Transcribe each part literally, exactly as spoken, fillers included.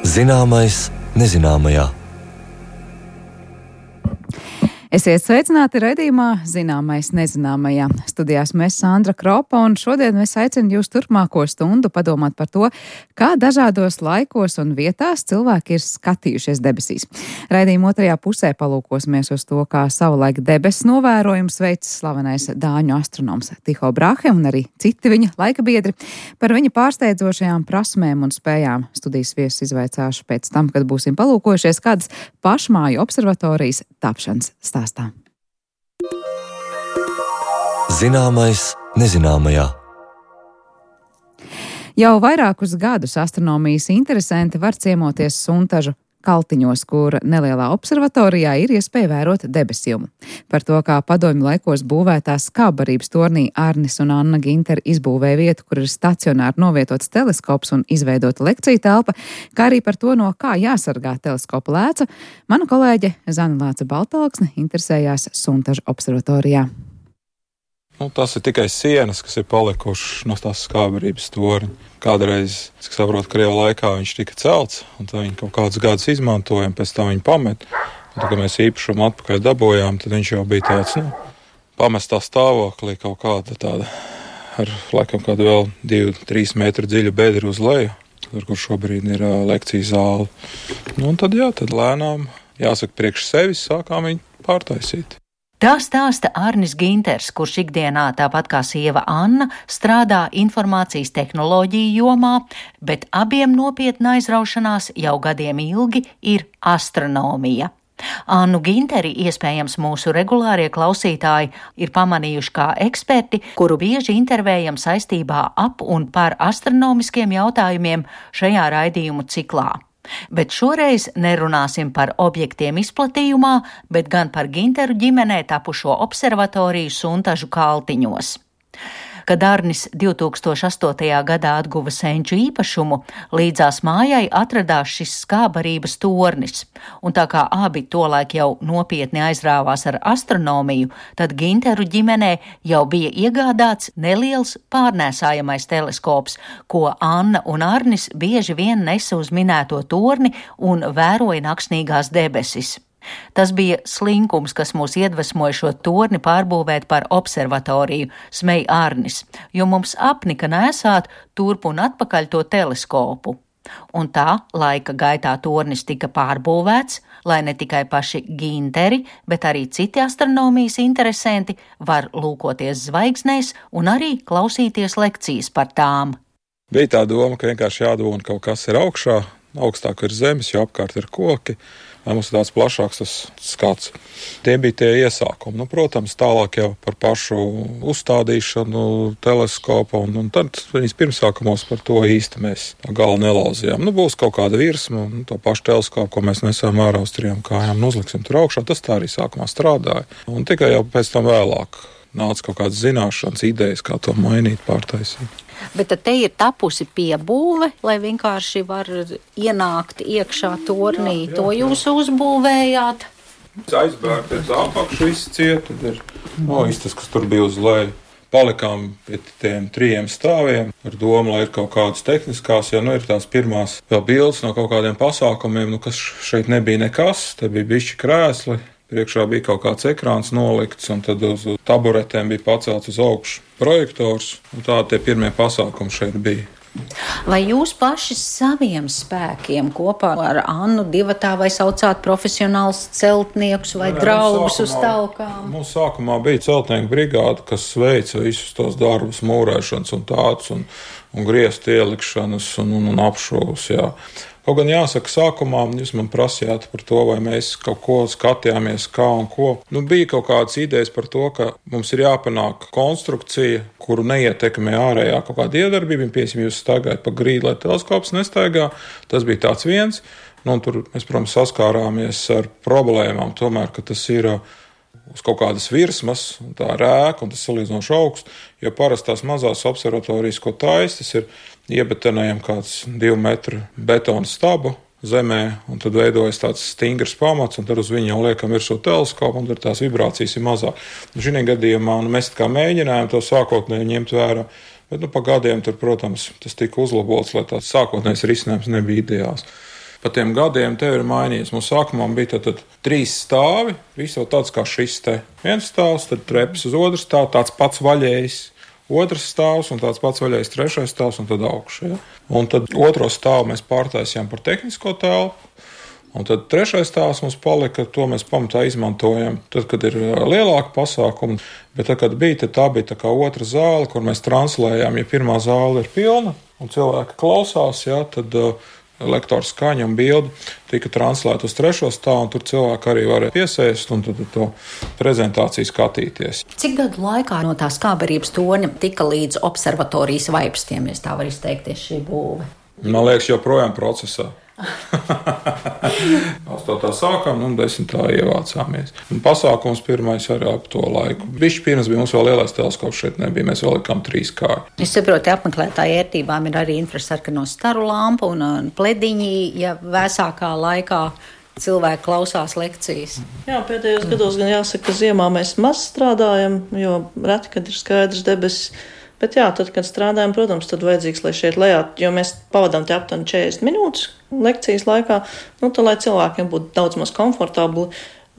Zināmais nezināmajā. Esiet sveicināti raidījumā Zināmais nezināmajā. Studijās mēs Sandra Kropa, un šodien es aicinu jūs turpmāko stundu padomāt par to, kā dažādos laikos un vietās cilvēki ir skatījušies debesīs. Raidījuma otrajā pusē palūkosimies uz to, kā savulaik debesu novērojums veids slavenais dāņu astronoms Tycho Brahe un arī citi viņa laika biedri. Par viņa pārsteidzošajām prasmēm un spējām studijas viesus izvaicāšu pēc tam, kad būsim palūkojušies kādas pašmāju observatorijas tapšanas stāstā. Zināmais nezināmajā. Jau vairākus gadus astronomijas interesanti var ciemoties Suntažu Kaltiņos, kur nelielā observatorijā ir iespēja vērot debesjumu. Par to, kā padomju laikos būvētā skābarības tornī Arnis un Anna Ginteri izbūvēja vietu, kur ir stacionāri novietots teleskops un izveidota lekciju telpa, kā arī par to, no kā jāsargā teleskopa lēca, mana kolēģe Zana Lāce Baltalksne interesējās Suntažu observatorijā. Nu, tas ir tikai sienas, kas ir palikušas no tās skābarības torņa. Kādreiz, es saprotu, Krieva laikā viņš tika celts, un tā viņi kaut kādus gadus izmantojam, pēc tam viņi pamet. Un tad, kad mēs īpašumu atpakaļ dabojām, tad viņš jau bija tāds, nu, pamestā stāvoklī, kaut kāda tāda, ar laikam kādu vēl divu, trīs metru dziļu bedru uz leju, tur, kur šobrīd ir uh, lekciju zāle. Nu, un tad, jā, tad lēnām, jāsaka, priekš sevis sākām viņu pārtaisīt. Tā stāsta Arnis Ginters, kurš ikdienā, tāpat kā sieva Anna, strādā informācijas tehnoloģiju jomā, bet abiem nopietna aizraušanās jau gadiem ilgi ir astronomija. Annu Ginteri iespējams mūsu regulārie klausītāji ir pamanījuši kā eksperti, kuru bieži intervējam saistībā ap un par astronomiskiem jautājumiem šajā raidījumu ciklā. Bet šoreiz nerunāsim par objektiem izplatījumā, bet gan par Ginteru ģimenē tapušo observatoriju Suntažu Kaltiņos. Kad Arnis divi tūkstoši astotajā gadā atguva senču īpašumu, līdzās mājai atradās šis skābarības tornis, un tā kā abi tolaik jau nopietni aizrāvās ar astronomiju, tad Ginteru ģimenē jau bija iegādāts neliels pārnēsājamais teleskops, ko Anna un Arnis bieži vien nesa uz minēto torni un vēroja naksnīgās debesis. Tas bija slinkums, kas mūs iedvesmoja šo torni pārbūvēt par observatoriju, smej Arnis, jo mums apnika nēsāt turp un atpakaļ to teleskopu. Un tā laika gaitā tornis tika pārbūvēts, lai ne tikai paši Ginteri, bet arī citi astronomijas interesanti var lūkoties zvaigznēs un arī klausīties lekcijas par tām. Bija tā doma, ka vienkārši jādod kaut kas ir augšā, augstāk ir zemes, jo apkārt ir koki. Lai mums ir tāds plašāks tas skats. Tie bija tie iesākumi. Nu, protams, tālāk jau par pašu uzstādīšanu teleskopa, un, un tad viņas pirmsākumos par to īsti mēs galu nelauzījām. Nu, būs kaut kāda virsma, un to pašu teleskopu, ko mēs nesām ārā uz trijām kājām un uzliksim tur augšā, tas tā arī sākumā strādāja. Un tikai jau pēc tam vēlāk nāca kaut kādas zināšanas, idejas, kā to mainīt, pārtaisīt. Bet tad te ir tapusi piebūve, lai vienkārši var ienākt iekšā tornī. Jā, jā, to jūs jā. uzbūvējāt? Aizbērt ir tā apakšu viss ciet, tad ir no istas, kas tur bija uz leju. Palikām pie tiem trījiem stāviem ar domu, lai ir kaut kādas tehniskās, jo nu ir tās pirmās vēl bildes no kaut kādiem pasākumiem, nu kas šeit nebija nekas, te bija bišķi krēsli. Priekšā bija kaut kāds ekrāns nolikts, un tad uz taburetēm bija pacelts uz augšu projektors, un tā tie pirmie pasākumi šeit bija. Vai jūs paši saviem spēkiem kopā ar Annu divatā vai saucāt profesionāls celtniekus vai Jā, draugus sākumā, uz talkām? Mums sākumā bija celtnieku brigāde, kas veica visus tos darbus, mūrēšanas un tāds, un, un griestu ielikšanas un, un, un apšovus, jā. Kaut gan jāsaka, sākumā jūs man prasījāt par to, vai mēs kaut ko skatījāmies, kā un ko. Nu, bija kaut kādas idejas par to, ka mums ir jāpanāk konstrukcija, kuru neietekmē ārējā kaut kāda iedarbība. Piemēram, jūs staigājat pa grīdu, lai teleskops nestaigā. Tas bija tāds viens. Nu, tur mēs, protams, saskārāmies ar problēmām, tomēr, ka tas ir uz kaut kādas virsmas, un tā rēka, un tas salīdzinoši augsts, jo parasti tās mazās observatorijas, ko taisa, tas ir iebetonējam kāds divu metru betona stabu zemē, un tad veidojas tāds stingrs pamats, un tad uz viņu jau liekam virsū teleskopu, un tad tās vibrācijas ir mazāk. Šī gadījumā nu, mēs kā mēģinājām to sākotnēji ņemt vērā, bet nu, pa gadiem tur, protams, tas tika uzlabots, lai tāds sākotnējs risinājums nebija ideāls. Pa tiem gadiem tev ir mainījies. Mums sākumā bija tad, tad trīs stāvi, viss jau tāds kā šis te. Viens stāvs, tad treps uz otru stāvu, tāds pats vaļējs, otrs stāvs un tāds pats vaļējs, trešais stāvs un tad augšu. Ja? Un tad otro stāvu mēs pārtaisījām par tehnisko telpu. Un tad trešais stāvs mums palika, to mēs pamatā izmantojam, tad, kad ir lielāka pasākuma. Bet tad, kad bija, tad tā bija tā kā otra zāle, kur mēs translējām. Ja pirmā zāle ir pilna un cilvēki klausās, ja, tad uh, lektora skaņa un bildi tika translēta uz trešo stāvu, un tur cilvēki arī varēja piesēst un tad to prezentāciju skatīties. Cik gadu laikā no tā skāberības torņa tika līdz observatorijas vaipstiem, ja tā var izteikties šī būve? Man liekas, joprojām procesā. Astotā sākām un desmitā ievācāmies. Un pasākums pirmais arī ap to laiku. Bišķi pirms bija mums vēl lielais teleskops, šeit nebija, mēs vēl likām trīs kāju. Es saprotu, apmeklētāju ērtībām ir arī infrasarkano staru lampa un plediņi, ja vēsākā laikā cilvēki klausās lekcijas. Jā, pēdējos gados gan jāsaka, ka ziemā mēs maz strādājam, jo reti, kad ir skaidrs debesis. Bet jā, tad, kad strādājam, protams, tad vajadzīgs, lai šeit lejā, jo mēs pavadām te aptuveni četrdesmit minūtes lekcijas laikā, nu, tad, lai cilvēkiem būtu daudz maz komfortabli,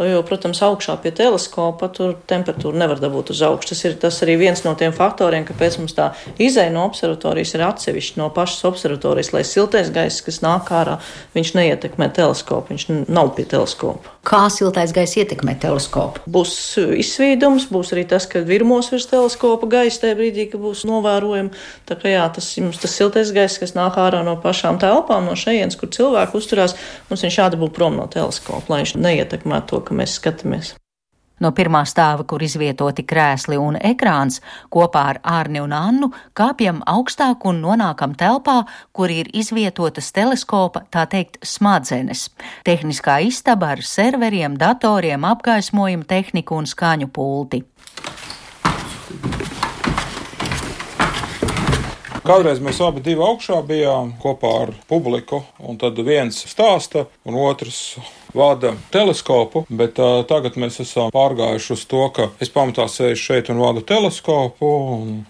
jo, protams, augšā pie teleskopa tur temperatūru nevar dabūt uz augšu. Tas ir tas arī viens no tiem faktoriem, kāpēc mums tā izeja no observatorijas ir atsevišķi no pašas observatorijas, lai siltais gaiss, kas nāk ārā, viņš neietekmē teleskopu, viņš nav pie teleskopa. Kā siltais gaiss ietekmē teleskopu? Būs izsvīdums, būs arī tas, ka virmos virs teleskopa gaisa tajā brīdī, ka būs novērojami. Tā kā jā, tas, mums tas siltais gaiss, kas nāk ārā no pašām telpām, no šejienes, kur cilvēki uzturās, mums viņš jādabū prom no teleskopa, lai viņš neietekmē to, ka mēs skatāmies. No pirmā stāva, kur izvietoti krēsli un ekrāns, kopā ar Ārni un Annu kāpjam augstāk un nonākam telpā, kur ir izvietotas teleskopa, tā teikt, smadzenes. Tehniskā istaba ar serveriem, datoriem, apgaismojumu tehniku un skaņu pulti. Kādreiz mēs abi divi augšā bijām kopā ar publiku, un tad viens stāsta un otrs vada teleskopu, bet uh, tagad mēs esam pārgājuši uz to, ka es pamatā sēžu šeit un vadu teleskopu, un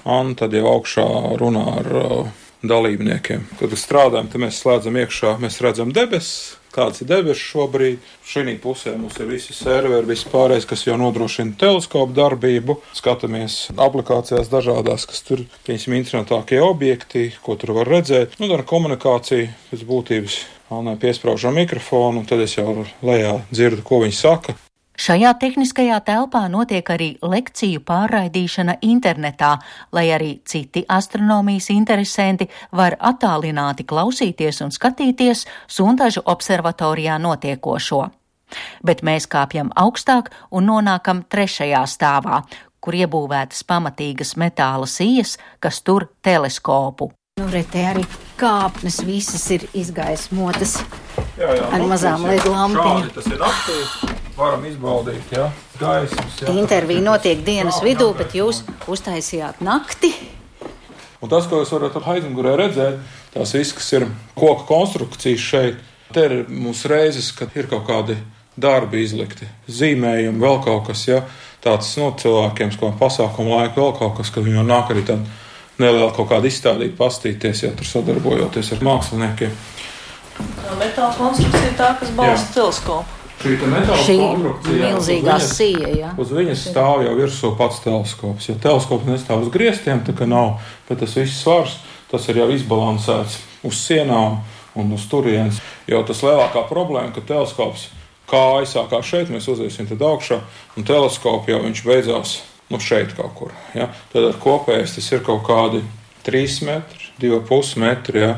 Anna tad jau augšā runā ar uh, dalībniekiem. Kad strādājam, tad mēs slēdzam iekšā, mēs redzam debesis, kāds ir debesis šobrīd. Šī pusē mums ir visi serveri, viss pārējais, kas jau nodrošina teleskopu darbību. Skatāmies aplikācijās dažādās, kas tur, piemēram, interesantākie objekti, ko tur var redzēt. Nu, ar komunikāciju pēc būtības Annai piespraužam mikrofonu, un tad es jau lejā dzirdu, ko viņi saka. Šajā tehniskajā telpā notiek arī lekciju pārraidīšana internetā, lai arī citi astronomijas interesanti var attālināti klausīties un skatīties Sundažu observatorijā notiekošo. Bet mēs kāpjam augstāk un nonākam trešajā stāvā, kur iebūvētas pamatīgas metāla sijas, kas tur teleskopu. Nu, re, te arī kāpnes visas ir izgaismotas jā, jā, ar mazām L E D lampiņām. Tas ir naktī, varam izbaudīt, jā, gaismas. Jā. Intervija notiek dienas vidū, bet jūs uztaisījāt nakti. Un tas, ko jūs varat aizmugurē redzēt, tās viss, kas ir koka konstrukcijas šeit, te ir mums reizes, kad ir kaut kādi darbi izlikti, zīmējumi, vēl kaut kas, jā, tāds, nu, cilvēkiem, ko pasākumu laiku vēl kaut kas, kad viņi nāk arī tad neliela kaut kāda izstādīt, pastīties, ja tur sadarbojoties ar māksliniekiem. Metāla konstrukcija tā, kas balsta teleskopu. Šī metāla Šī konstrukcija, milzīgā sija, jā. Uz viņas stāv jau virsū pats teleskops. Ja teleskops nestāv uz griestiem, tā kā nav, bet tas viss svars, tas ir jau izbalansēts uz sienām un uz turienes. Jo tas lielākā problēma, ka teleskops kā aizsākā šeit, mēs uziesim tad augšā, un teleskopu jau viņš beidzās nu šeit kaut kur. Ja? Tad ar kopējais tas ir kaut kādi trīs metri, divi pus metri, ja?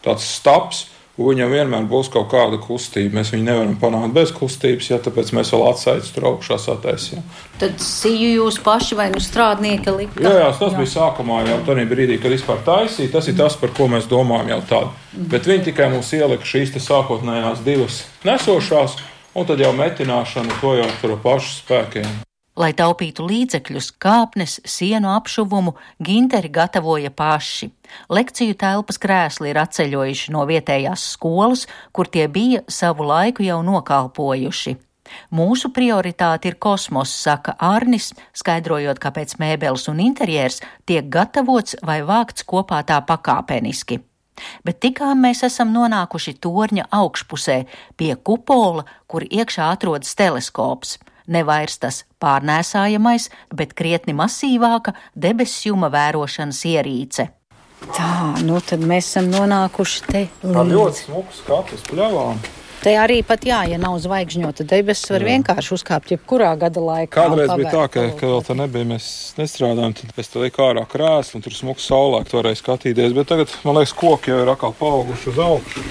Tāds staps, un viņam vienmēr būs kaut kāda kustība. Mēs viņu nevaram panākt bez kustības, ja? Tāpēc mēs vēl atsaicis tur augšā sataisījām. Tad siju jūs paši vai nu strādnieki lika? Jā, jā, tas jā. bija sākumā jau tādā brīdī, kad vispār taisīja. Tas ir tas, par ko mēs domājam jau tādu. Mm. Bet viņi tikai mums ielika šīs te sākotnējās divas nesošās, un tad jau metināšanu to jau tur pašu spēkiem. Lai taupītu līdzekļus, kāpnes, sienu apšuvumu Ginteri gatavoja paši. Lekciju telpas krēsli ir atceļojuši no vietējās skolas, kur tie bija savu laiku jau nokalpojuši. Mūsu prioritāte ir kosmos, saka Ārnis, skaidrojot, kāpēc mēbeles un interjers tiek gatavots vai vākts kopā tā pakāpeniski. Bet tikām mēs esam nonākuši torņa augšpusē pie kupola, kur iekšā atrodas teleskops. Ne vairs tas pārnēsājamais, bet krietni masīvāka debesjuma vērošanas ierīce. Tā, nu tad mēs esam nonākuši te līdz. Tā ļoti smuks skats pļavām. Te arī pat jā, ja nav zvaigžņota debesis, var jā. vienkārši uzkāpt jebkurā gada laikā. Kādreiz bija tā, ka, ka vēl tā nebija, mēs nestrādājam, tad pēc tā liek ārā krēslu un tur smuks saulēkt varēja skatīties, bet tagad, man liekas, koki jau ir atkal paauguši uz augšu.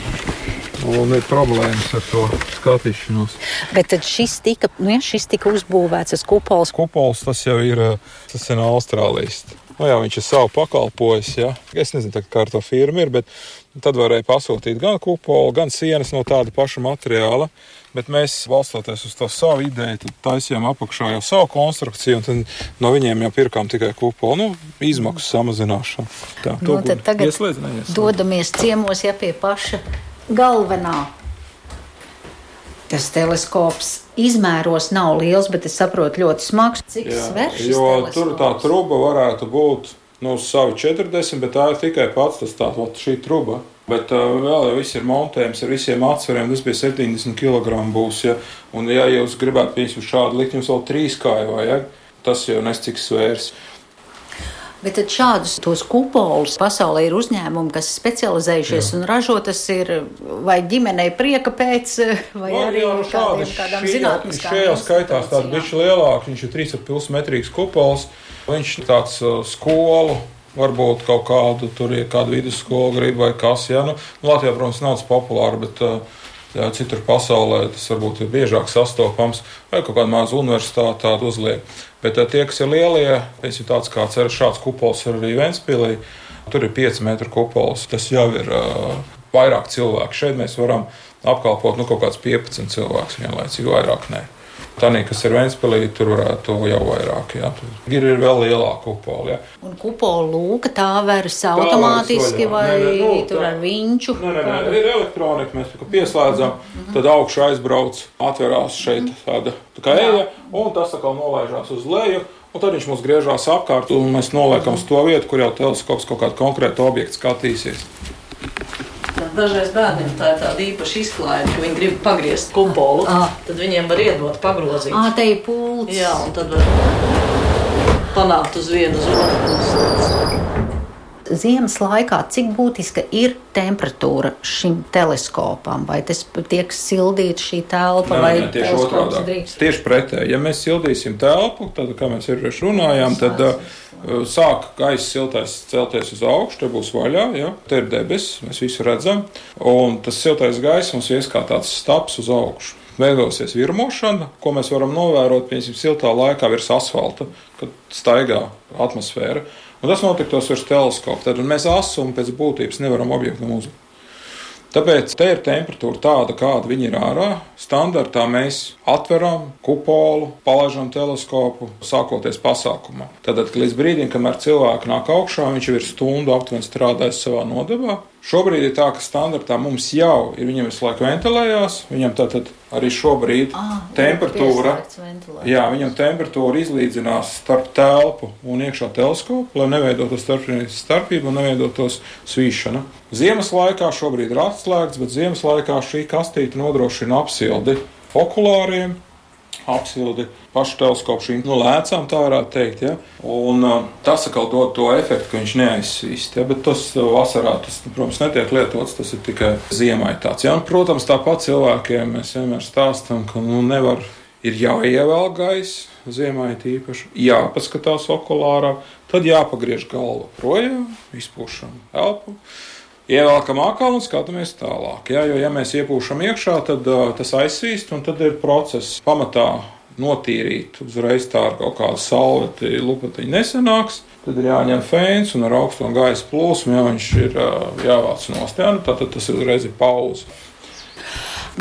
Un ir problēmas ar to skatīšanos. Bet tad šis tika, nu ja šis tika uzbūvēts, tas kupols. Kupols, tas jau ir, tas ir no Austrālijas. Nu jā, viņš ir savu pakalpojis, jā. Es nezinu, tā, kā ar to firmu ir, bet tad varēja pasūtīt gan kupolu, gan sienas no tāda paša materiāla. Bet mēs, balstoties uz to savu ideju, tad taisījām apakšā jau savu konstrukciju, un tad no viņiem jau pirkām tikai kupolu, nu, izmaksu samazināšanu. Tā, nu, tad tagad ieslēdz, neieslēdz. Dodamies ciemos, ja pie paša galvenā. Tas teleskops izmēros nav liels, bet es saprotu ļoti smags. Cik sver šis jo teleskops? Tur tā truba varētu būt nu, uz savu četrdesmit, bet tā ir tikai pats tas tā, šī truba. Bet uh, vēl jau viss ir montējums ar visiem atsvariem, tas bija septiņdesmit kilogramu būs, ja. Un ja jūs gribētu piesūt šādu likt, jums vēl trīs kāju vajag, tas jau nes cik svērs. Bet tad šādus tos kupolus pasaulē ir uzņēmumi, kas specializējušies jā. Un ražo, tas ir vai ģimenei prieka pēc, vai no, arī jā, no kādiem, kādām zinātniskām. Šajā skaitās tāds bišķi lielāks, viņš ir trīs ar pus metrīgs kupols, viņš ir tāds uh, skolu, varbūt kaut kādu, tur ir kādu vidusskolu grib vai kas, jā, nu, Latvijā, protams, nav tas populāri, bet uh, jā, citur pasaulē tas varbūt ir biežāk sastopams, vai kaut kāda maza universitāte tādu uzliek. Bet tie, kas ir lielie, piemēram, tāds kāds ir šāds kupols arī Ventspilī, tur ir pieci metru kupols. Tas jau ir uh, vairāk cilvēku. Šeit mēs varam apkalpot nu, kaut kāds piecpadsmit cilvēks vienlaicīgi, vairāk nē. Tanī, kas ir Ventspilī, tur varētu jau vairāk. Jā. Tur ir vēl lielāka kupola. Jā. Un kupola lūka tā veras automātiski vai nē, nē, nu, tur ar viņču? Nē, nē, nē, ir elektronika, mēs pieslēdzam, mm-hmm. tad augšu aizbrauc, atverās šeit tāda tā kā eja, un tas atkal nolaižās uz leju, un tad viņš mums griežās apkārt, un mēs noliekam uz to vietu, kur jau teleskops kaut kādu konkrētu objektu skatīsies. Dažreiz bērniem tā ir tāda īpaša izklaide, ka viņi grib pagriezt kupolu, à. Tad viņiem var iedot pagrozīt. Ā, te ir pults. Jā, un tad var panākt uz vienu, uz otru pusi. Ziemas laikā, cik būtiska ir temperatūra šim teleskopam? Vai tas tiek sildīta šī telpa, nē, vai nē, tieši teleskops drīkst? Tieši pretēji. Ja mēs sildīsim telpu, tad, kā mēs iepriekš runājām, tad uh, sāk gaisa siltais celties uz augšu, te būs vaļā, ja? Te ir debesis, mēs visu redzam, un tas siltais gaisa mums ies kā tāds staps uz augšu. Veidosies virmošana, ko mēs varam novērot, piemēram, siltā laikā virs asfalta, kad staigā atmosfēra. Un tas notiktos virs teleskopa. Tad mēs asumu pēc būtības nevaram objektam uzlikt. Tāpēc te ir temperatūra tāda, kāda viņa ir ārā. Standartā mēs atveram kupolu, palaižam teleskopu, sākoties pasākumā. Tātad līdz brīdim, kamēr cilvēki nāk augšā, viņš jau ir stundu aptuveni strādājis savā nodevā. Šobrīd ir tā, ka standartā mums jau ir, viņam visu laiku ventilējās, viņam tātad arī šobrīd ah, temperatūra, jā, viņam temperatūra izlīdzinās starp telpu un iekšā teleskopu, lai neveidotos starpību un neveidotos svīšana. Ziemas laikā šobrīd ir atslēgts, bet ziemas laikā šī kastīte nodrošina apsildi okulāriem, apsildi pašu teleskopu šīm nu, lēcām, tā varētu teikt. Ja? Un uh, tas atkal dod to efektu, ka viņš neaizsvīst. Ja? Bet tas uh, vasarā, tas, protams, netiek lietots, tas ir tikai ziemai tāds. Ja? Un, protams, tāpat cilvēkiem mēs vienmēr stāstam, ka nu, nevar, ir jāievēl gaisa, ziemai tīpaši, jāpaskatās okulārā, tad jāpagriež galva projām, izpūšam elpu. Ievelkam akālu un skatāmies tālāk. Ja? Jo, ja mēs iepūšam iekšā, tad uh, tas aizsvīst, un tad ir process pamatā notīrīt. Uzreiz tā ar kaut kādu salveti lupatiņu nesanāks. Tad ir jāņem fēns un ar augsto gaisa plūsmu, ja viņš ir uh, jāvāc nost. Ja? Nu, tad tas uzreiz ir pauze.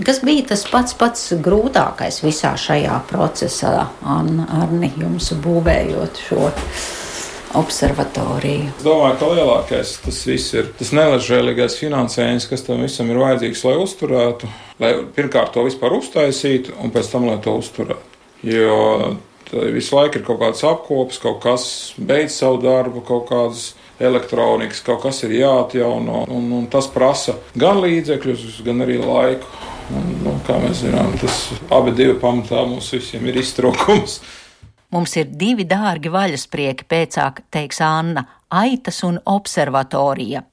Kas bija tas pats pats grūtākais visā šajā procesā, Arni, jums būvējot šo observatoriju? Es domāju, ka lielākais tas viss ir tas neležēlīgais finansējums, kas tam visam ir vajadzīgs, lai uzturētu, lai pirmkārt to vispār uztaisītu un pēc tam, lai to uzturētu. Jo visu laiku ir kaut kāds apkops, kaut kas beidz savu darbu, kaut kādas elektronikas, kaut kas ir jāatjauno, un, un tas prasa gan līdzekļus, gan arī laiku. Un, nu, kā mēs zinām, tas abi divi pamatā mums visiem ir iztrūkums. Mums ir divi dārgi vaļasprieki, pēcāk teiks Anna – aitas un observatorija.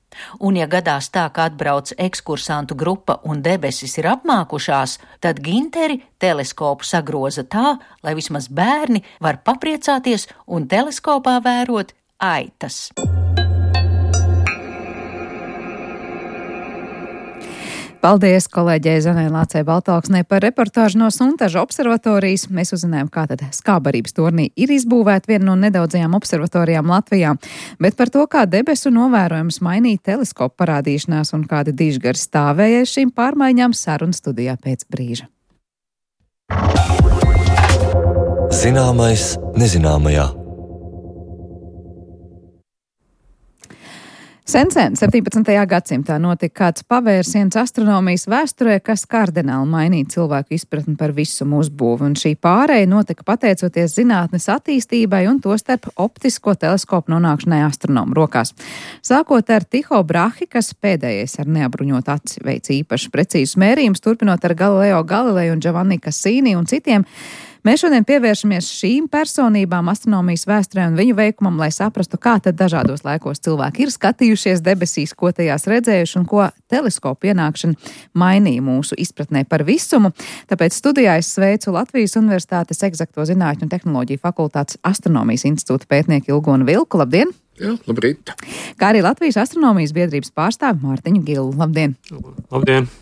Un ja gadās tā, ka atbrauc ekskursantu grupa un debesis ir apmākušās, tad Ginteri teleskopu sagroza tā, lai vismaz bērni var papriecāties un teleskopā vērot aitas. Paldies kolēģei Zanai Lācei Baltalksnei par reportāžu no Suntaža observatorijas. Mēs uzzinājām, kā tad Skābarības tornī ir izbūvēta viena no nedaudzajām observatorijām Latvijā, bet par to, kā debesu novērojums mainīt teleskopu parādīšanās un kādi dižgari stāvēja šīm pārmaiņām, saruna studijā pēc brīža. Zināmais nezināmajā. Sen sen, septiņpadsmitajā gadsimtā notika kāds pavērsiens astronomijas vēsturē, kas kardināli mainīja cilvēku izpratni par visu uzbūvi, un šī pārēja notika pateicoties zinātnes attīstībai un tostarp optisko teleskopu nonākšanai astronomu rokās. Sākot ar Tycho Brahe, kas pēdējais ar neapbruņotu aci veic īpaši precīzus mērījumus, turpinot ar Galileo Galilei un Giovanni Cassini un citiem. Mēs šodien pievēršamies šīm personībām astronomijas vēsturē un viņu veikumam, lai saprastu, kā tad dažādos laikos cilvēki ir skatījušies debesīs, ko tajās redzējuši un ko teleskopu ienākšana mainīja mūsu izpratnē par visumu. Tāpēc studijā es sveicu Latvijas Universitātes Eksakto zinātņu un tehnoloģiju fakultātes astronomijas institūta pētnieku Ilgonu Vilku. Labdien! Jā, labrīt! Kā arī Latvijas astronomijas biedrības pārstāvi Mārtiņu Gilu. Labdien! Labdien!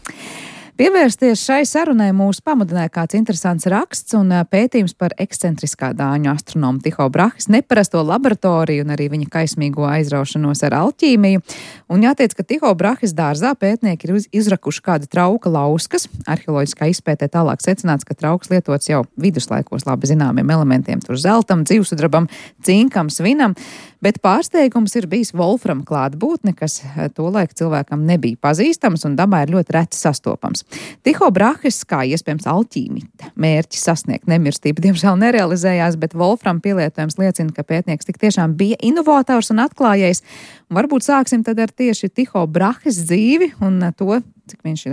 Pievērsties šai sarunai mūs pamudināja kāds interesants raksts un pētījums par ekscentriskā dāņu astronomu Tycho Brahes neparasto laboratoriju un arī viņa kaismīgo aizraušanos ar alķīmiju. Un jāteic, ka Tycho Brahes dārzā pētnieki ir izrakuši kāda trauka lauskas. Arheoloģiskā izpētē tālāk secināts, ka trauks lietots jau viduslaikos labi zināmiem elementiem, tur zeltam, dzīvsudrabam, cinkam, svinam, bet pārsteigums ir bijis volfram klātbūtne, kas tolaik cilvēkam nebija pazīstams un dabā ir ļoti reti sastopams. Tycho Brahes, kā iespējams alķīmita, mērķis sasniegt nemirstību, diemžēl nerealizējās, bet volfram pielietojums liecina, ka pētnieks tik tiešām bija inovators un atklājējs. Un varbūt sāksim tad ar tieši Tycho Brahes dzīvi un to, cik viņš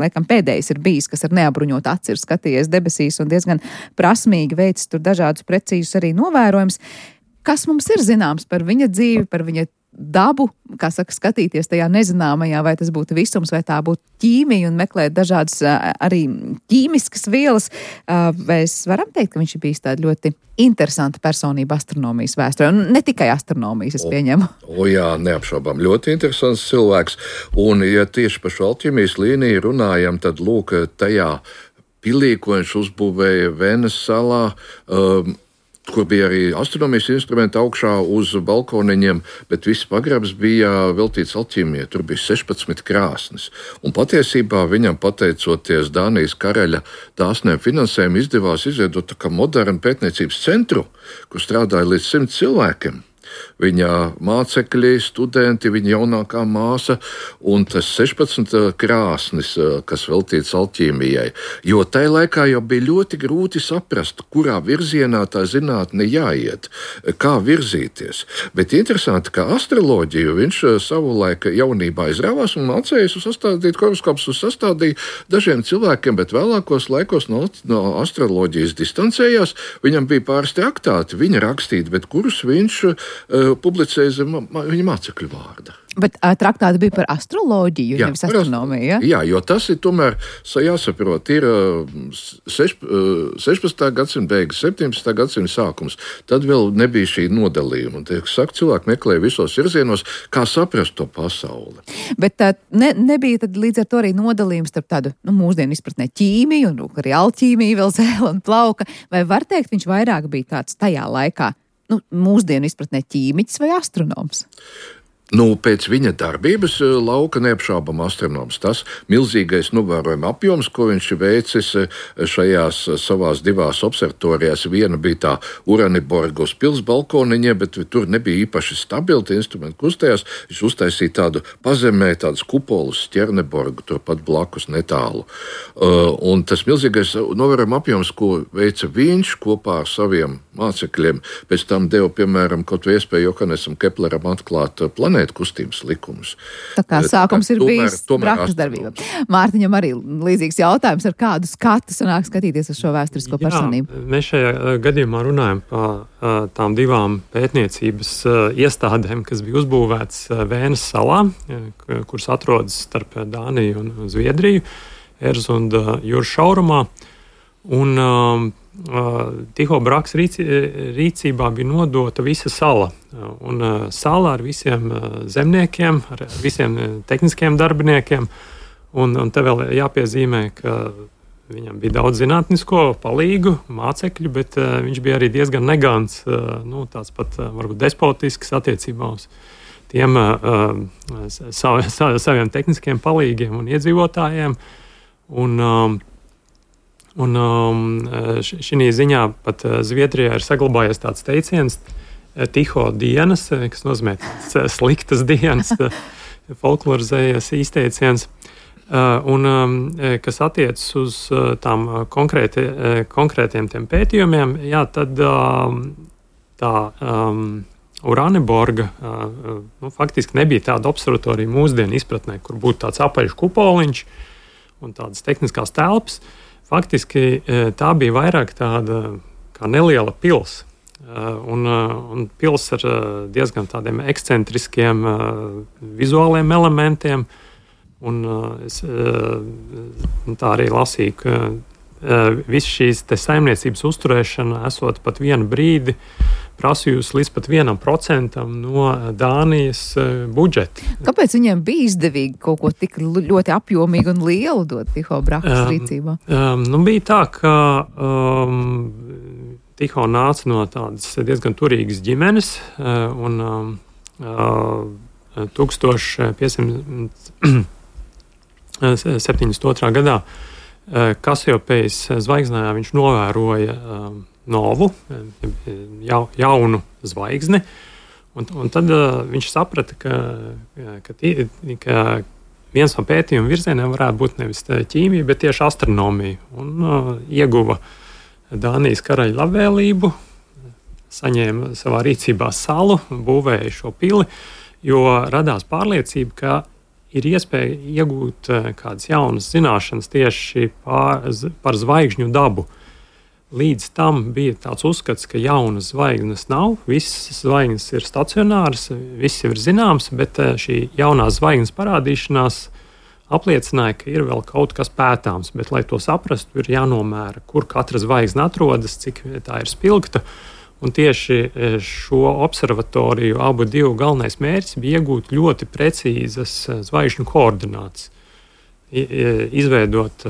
laikam pēdējais ir bijis, kas ar neapbruņotu aci ir skatījies debesīs un diezgan prasmīgi veicis tur dažādus precīzus arī novērojumus. Kas mums ir zināms par viņa dzīvi, par viņa dabu, kā saka, skatīties tajā nezināmajā, vai tas būtu visums, vai tā būtu ķīmija un meklēt dažādas arī ķīmiskas vielas, vai es varam teikt, ka viņš ir bijis tāda ļoti interesanta personība astronomijas vēsturē, un ne tikai astronomijas, es pieņemu. O, o jā, neapšaubām, ļoti interesants cilvēks, un ja tieši par šo alķīmijas līniju runājam, tad lūk, tajā pilī, ko viņš uzbūvēja Vēnes salā, um, kur bija arī astronomijas instrumenti augšā uz balkoniņiem, bet viss pagrabs bija veltīts alķīmijai. Tur bija sešpadsmit krāsnes. Un patiesībā viņam, pateicoties Dānijas karaļa dāsniem finansējumu, izdevās izveidot tā kā modernu pētniecības centru, kur strādāja līdz simt cilvēkiem. Viņa mācekļi, studenti, viņa jaunākā māsa un tas sešpadsmit krāsnis, kas veltīts alķīmijai. Jo tajā laikā jau bija ļoti grūti saprast, kurā virzienā tā zinātne jāiet, kā virzīties. Bet interesanti, ka astroloģiju viņš savulaik jaunībā izrāvās un mācējās sastādīt horoskopus, sastādīja dažiem cilvēkiem, bet vēlākos laikos no, no astroloģijas distancējās. Viņam bija pāris traktāti, viņa rakstīt, bet kurus viņš publicēja zem viņa mācekļu vārda. Bet traktāti bija par astroloģiju, jā, nevis astronomiju, ja? Jā, jo tas ir tomēr, jāsaprot, ir sešpadsmitā gadsimta beigas, septiņpadsmitā gadsimta sākums. Tad vēl nebija šī nodalījuma. Un, tiek saka, cilvēki meklēja visos virzienos, kā saprast to pasauli. Bet tā ne, nebija tad līdz ar to arī nodalījums starp tādu, nu, mūsdienu izpratnē ķīmiju, un arī alķīmiju, vēl zēla un plauka. Vai var teikt, viņš vairāk bija tāds tajā laikā, nu, mūsdienu izpratnē ķīmiķis vai astronoms? Nu, pēc viņa darbības lauka neapšaubām astronoms. Tas milzīgais novērojuma apjoms, ko viņš veicis šajās savās divās observatorijās. Viena bija tā Uraniborga uz pils balkoniņa, bet tur nebija īpaši stabili, tie instrumenti kustējās. Viņš uztaisīja tādu pazemē, tādus kupolus Stjerneborgu, turpat blakus netālu. Un tas milzīgais novērojuma apjoms, ko veica viņš kopā ar saviem mācekļiem, pēc tam deva, piemēram, kaut vai iespēju Johannesam Kepleram atklāt planētu kustības likumus. Tā kā sākums ir tomēr, bijis brakas darbība. Mārtiņam arī līdzīgs jautājums, ar kādu skatu sanāk skatīties uz šo vēsturisko personību. Jā, mēs šajā gadījumā runājam par tām divām pētniecības iestādēm, kas bija uzbūvētas Vēnes salā, kuras atrodas starp Dāniju un Zviedriju, Erzunda jūras šaurumā. Un um, Tycho Brahes rīci, rīcībā bija nodota visa sala. Un uh, sala ar visiem uh, zemniekiem, ar visiem tehniskiem darbiniekiem. Un, un te vēl jāpiezīmē, ka viņam bija daudz zinātnisko palīgu, mācekļu, bet uh, viņš bija arī diezgan negants, uh, nu, tāds pat uh, varbūt despotisks attiecībā uz tiem uh, sav, sav, saviem tehniskiem palīgiem un iedzīvotājiem. Un, um, Un šī ziņā pat Zviedrijā ir saglabājies tāds teiciens Tycho dienas, kas nozīmē sliktas dienas, folklorizējies izteiciens, un kas attiecas uz tām konkrēti, konkrētiem tiem pētījumiem, jā, tad tā um, Uraniborga uh, nu, faktiski nebija tāda observatorija mūsdienu izpratnē, kur būtu tāds apaļš kupoliņš un tādas tehniskās telpas. Faktiski tā bija vairāk tāda kā neliela pils. Un, un pils ar diezgan tādiem ekscentriskiem vizuāliem elementiem. Un es tā arī lasīju, ka viss šīs te saimniecības uzturēšana esot pat vienu brīdi prasījusi līdz pat vienam procentam no Dānijas budžeta. Kāpēc viņiem bija izdevīgi kaut ko tik ļoti apjomīgu un lielu dot Tycho Brahes rīcībā? Um, um, nu bija tā, ka um, Tycho nāca no tādas diezgan turīgas ģimenes, uh, un um, uh, tūkstoš piecsimt septiņdesmit otrā gadā uh, Kasiopejas zvaigznājā viņš novēroja um, novu, ja, jaunu zvaigzni, un, un tad uh, viņš saprata, ka, ka, tī, ka viens no pētījuma virzieniem varētu būt nevis ķīmija, bet tieši astronomija, un uh, ieguva Dānijas karaļa labvēlību, saņēma savā rīcībā salu, būvēja šo pili, jo radās pārliecība, ka ir iespēja iegūt uh, kādas jaunas zināšanas tieši pār, par zvaigžņu dabu. Līdz tam bija tāds uzskats, ka jaunas zvaigznes nav, visas zvaigznes ir stacionāras, viss jau ir zināms, bet šī jaunā zvaigznes parādīšanās apliecināja, ka ir vēl kaut kas pētāms, bet, lai to saprastu, ir jānomēra, kur katra zvaigzne atrodas, cik tā ir spilgta, un tieši šo observatoriju abu divu galvenais mērķis bija iegūt ļoti precīzas zvaigžņu koordinātas. Izveidot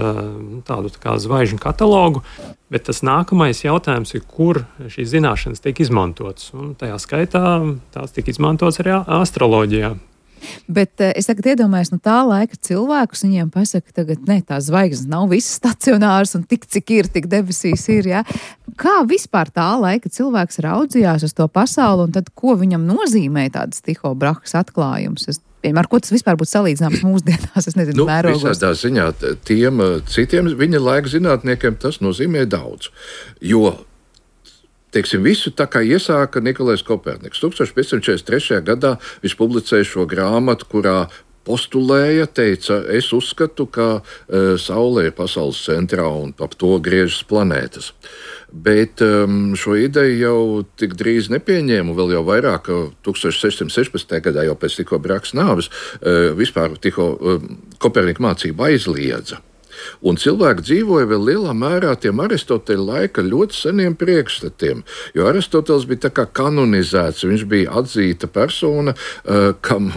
tādu tā kā zvaigžņu katalogu, bet tas nākamais jautājums ir, kur šīs zināšanas tiek izmantotas. Un tajā skaitā tās tiek izmantotas arī astroloģijā. Bet es tagad iedomājos, no tā laika cilvēkus viņiem pasaka, tagad ne, tās zvaigznes nav visas stacionāras un tik, cik ir, tik debesīs ir, jā. Kā vispār tā laika cilvēks raudzījās uz to pasauli un tad, ko viņam nozīmē tādas Tycho Brahes atklājums? Es Ar ko tas vispār būtu salīdzināms mūsdienās? Es nezinu, nu, mērogos. Visādā ziņā tiem citiem viņa laika zinātniekiem tas nozīmē daudz. Jo, teiksim, visu tā kā iesāka Nikolais Koperniks. tūkstoš piecsimt četrdesmit trešajā gadā viņš publicēja šo grāmatu, kurā postulēja, teica, es uzskatu, ka e, Saule ir pasaules centrā un ap to griežas planētas. Bet um, šo ideju jau tik drīz nepieņēmu, vēl jau vairāk, tūkstoš sešsimt sešpadsmitajā gadā, jau pēc Tycho Brahes nāves, uh, vispār Tycho uh, Kopernika mācība aizliedza. Un cilvēki dzīvoja vēl lielā mērā tiem Aristoteļa laika ļoti seniem priekšstatiem, jo Aristotelis bija tā kā kanonizēts, viņš bija atzīta persona, kam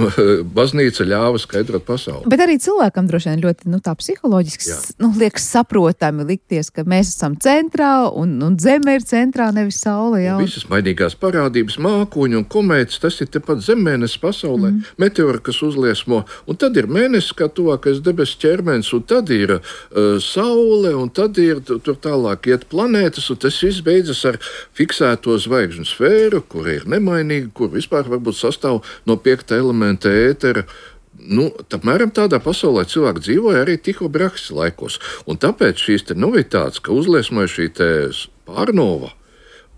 baznīca ļāva skaidrot pasauli. Bet arī cilvēkam droši vien ļoti, nu tā psiholoģiski, nu, liekas saprotami likties, ka mēs esam centrā un, un zeme ir centrā, nevis saule, jā. Un visas mainīgās parādības, mākoņi un komētas, tas ir tepat Zemmēnesis pasaulē, mm. meteori, kas uzliesmo, un tad ir mēnesis kā tuvākais debesu ķermenis, un tad ir Saule, un tad ir tur tālāk iet planētas, un tas viss beidzas ar fiksēto zvaigžņu sfēru, kur ir nemainīga, kur vispār varbūt sastāv no piekta elementa ētera. Nu, apmēram tādā pasaulē cilvēki dzīvoja arī Tycho Brahas laikos, un tāpēc šīs te novitātes, ka uzliesmoja šī te pārnova,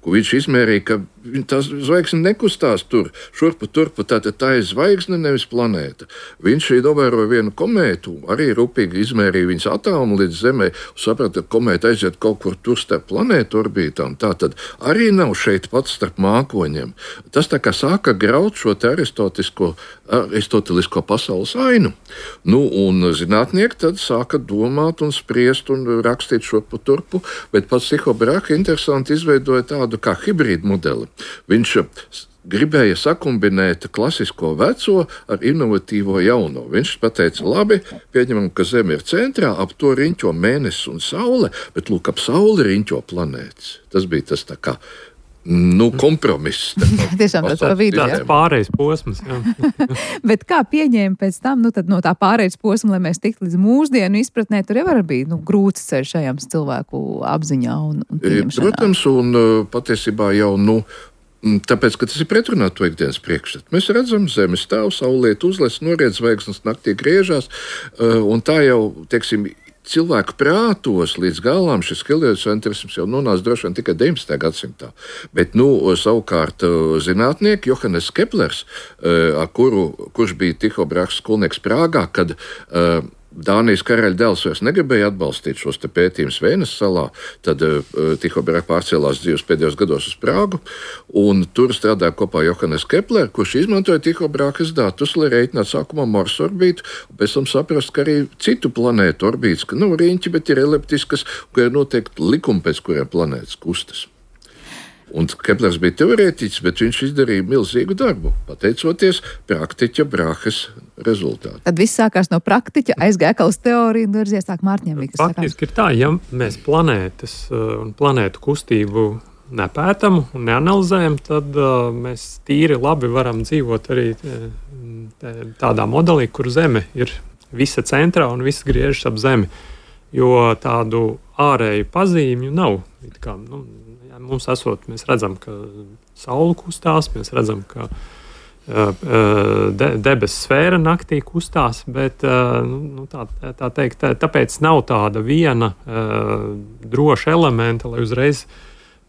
ko viņš izmērīja, ka tās zvaigzne nekustās tur, šurpu turpu, tātad tā ir zvaigzne, nevis planēta. Viņš novēroja vienu komētu, arī rūpīgi izmērīja viņas atomu līdz Zemē, un saprata, ka komēta aiziet kaut kur tur starp planētu orbītām. Tātad arī nav šeit pats starp mākoņiem. Tas tā kā sāka graut šo te aristotelisko, aristotelisko pasaules ainu. Nu, un zinātnieki tad sāka domāt un spriest un rakstīt šurpu turpu, bet pats Tycho Brahe interesanti izveidoja tādu kā hibrīdu modeli. Viņš gribēja sakumbinēt klasisko veco ar inovatīvo jauno. Viņš pateica, labi, pieņemam, ka Zeme ir centrā, ap to riņķo mēnesis un saule, bet lūk, ap sauli riņķo planētas. Tas bija tas tā kā, nu, kompromiss. Tiešām tāds pa vidu, jā. Tāds pārējais posms, jā. Bet kā pieņēma pēc tam, nu tad no tā pārējais posma, lai mēs tiktu līdz mūsdienu izpratnē, tur jau var bija, nu, grūts ceļš šajām cilvēku apziņā un, un pieņemšanā. Protams, un patiesībā jau, nu, tāpēc, ka tas ir pretrunā to ikdienas priekšstatu. Mēs redzam, Zeme stāv, saulēt uzlies, noriet zvaigznes, naktī griežās, un tā jau, teiksim, cilvēku prātos līdz galām šis heliocentrisms jau nonāca droši vien tikai deviņpadsmitajā gadsimtā. Bet, nu, savukārt zinātnieki, Johannes Keplers, ar kuru, kurš bija Tycho Brahas skolnieks Prāgā, kad uh, Dānijas karaļa dēls vairs negribēja atbalstīt šos te pētījumus Vēnes salā, tad uh, Tycho Brahe pārcēlās dzīves pēdējos gados uz Prāgu, un tur strādāja kopā Johannes Kepler, kurš izmantoja Tycho Brahes datus, lai rēķinātu sākumā Marsa orbītu, un pēc tam saprast, ka arī citu planētu orbītas, ka nav riņķi, bet ir eliptiskas, ka ir noteikti likumi, pēc kuriem planētas kustas. Un Keplers bija teorētiķis, bet viņš izdarīja milzīgu darbu, pateicoties praktiķa Brahes rezultātu. Tad viss sākās no praktiķa, aizgāja atkal uz teoriju un virzies sāk Mārķiem. Faktiski ir tā, ja mēs planētas un planētu kustību nepētam un neanalizējam, tad uh, mēs tīri labi varam dzīvot arī tādā modelī, kur Zeme ir visa centrā un viss griežas ap Zemi, jo tādu ārēju pazīmju nav. It kā, nu, mums esot, mēs redzam, ka saule kustās, mēs redzam, ka uh, de, debesu sfēra naktī kustās, bet uh, nu, tā, tā teikt, tā, tāpēc nav tāda viena uh, droša elementa, lai uzreiz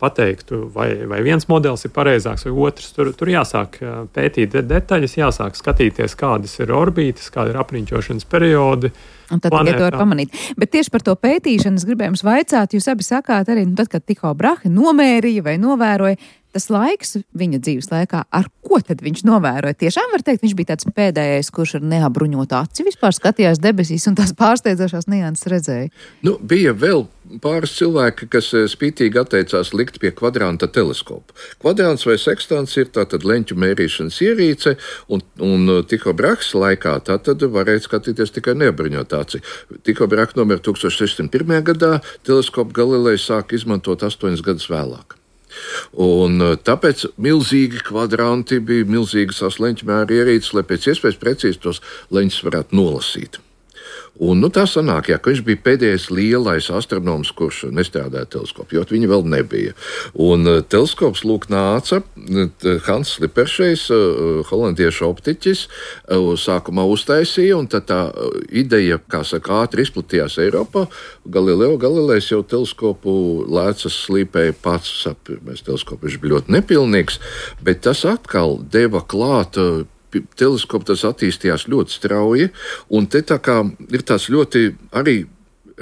pateiktu, vai, vai viens modelis ir pareizāks vai otrs. Tur, tur jāsāk pētīt detaļas, jāsāk skatīties, kādas ir orbītas, kāda ir apriņķošanas periodi. Un tad tikai to var pamanīt. Bet tieši par to pētīšanu es gribēju jums vaicāt, jūs abi sakāt arī, nu tad, kad Tycho Brahe nomērīja vai novēroja, tas laiks viņa dzīves laikā, ar ko tad viņš novēroja? Tiešām var teikt, viņš bija tāds pēdējais, kurš ar neapbruņotu aci vispār skatījās debesīs un tās pārsteidzošās nianses redzēja. Nu, bija vēl pāris cilvēki, kas spītīgi atteicās likt pie kvadranta teleskopu. Kvadrants vai sekstants ir tātad leņķu mērīšanas ierīce, un, un Tycho Brahas laikā tātad varēja skatīties tikai neapbruņot aci. Tycho Brahe nomira tūkstoš sešsimt pirmajā gadā, teleskopu Galilejs sāk izmantot astoņus gadus vēlāk. Un tāpēc milzīgi kvadranti bija milzīgas leņķu mēra ierīces, lai pēc iespējas precīzi tos leņķus varētu nolasīt. Un, nu, tā sanāk, jā, ka viņš bija pēdējais lielais astronoms, kurš nestrādāja teleskopu, jo viņa vēl nebija. Un uh, teleskops lūk nāca, Hans Sliperšejs, uh, holandiešu optiķis, uh, sākumā uztaisīja, un tad tā uh, ideja, kā saka, ātri izplatījās Eiropā. Galileo Galilejs jau teleskopu lēcas slīpēja pats, sapirmais teleskops, viņš bija ļoti nepilnīgs, bet tas atkal deva klāt uh, teleskops, tas attīstījās ļoti strauji, un te tā kā ir tāds ļoti arī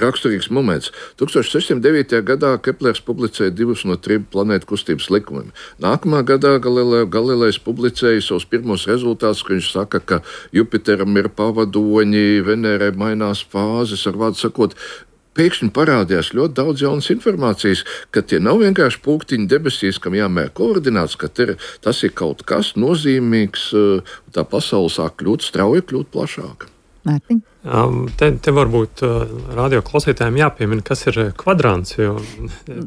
raksturīgs moments. tūkstoš sešsimt devītajā gadā Keplers publicēja divus no trim planētu kustības likumiem. Nākamā gadā Galilejs publicēja savus pirmos rezultātus, ka viņš saka, ka Jupiteram ir pavadoņi, Venērai mainās fāzes, ar vārdu sakot, pēkšņi parādījās ļoti daudz jaunas informācijas, ka tie nav vienkārši pulktiņi debesīs, kam jāmēr koordināts, ka ir, tas ir kaut kas nozīmīgs, tā pasaule sāk kļūt strauji, kļūt plašāka. Mārtiņ? Te, te varbūt radio klausītājiem jāpiemina, kas ir kvadrants. Jo,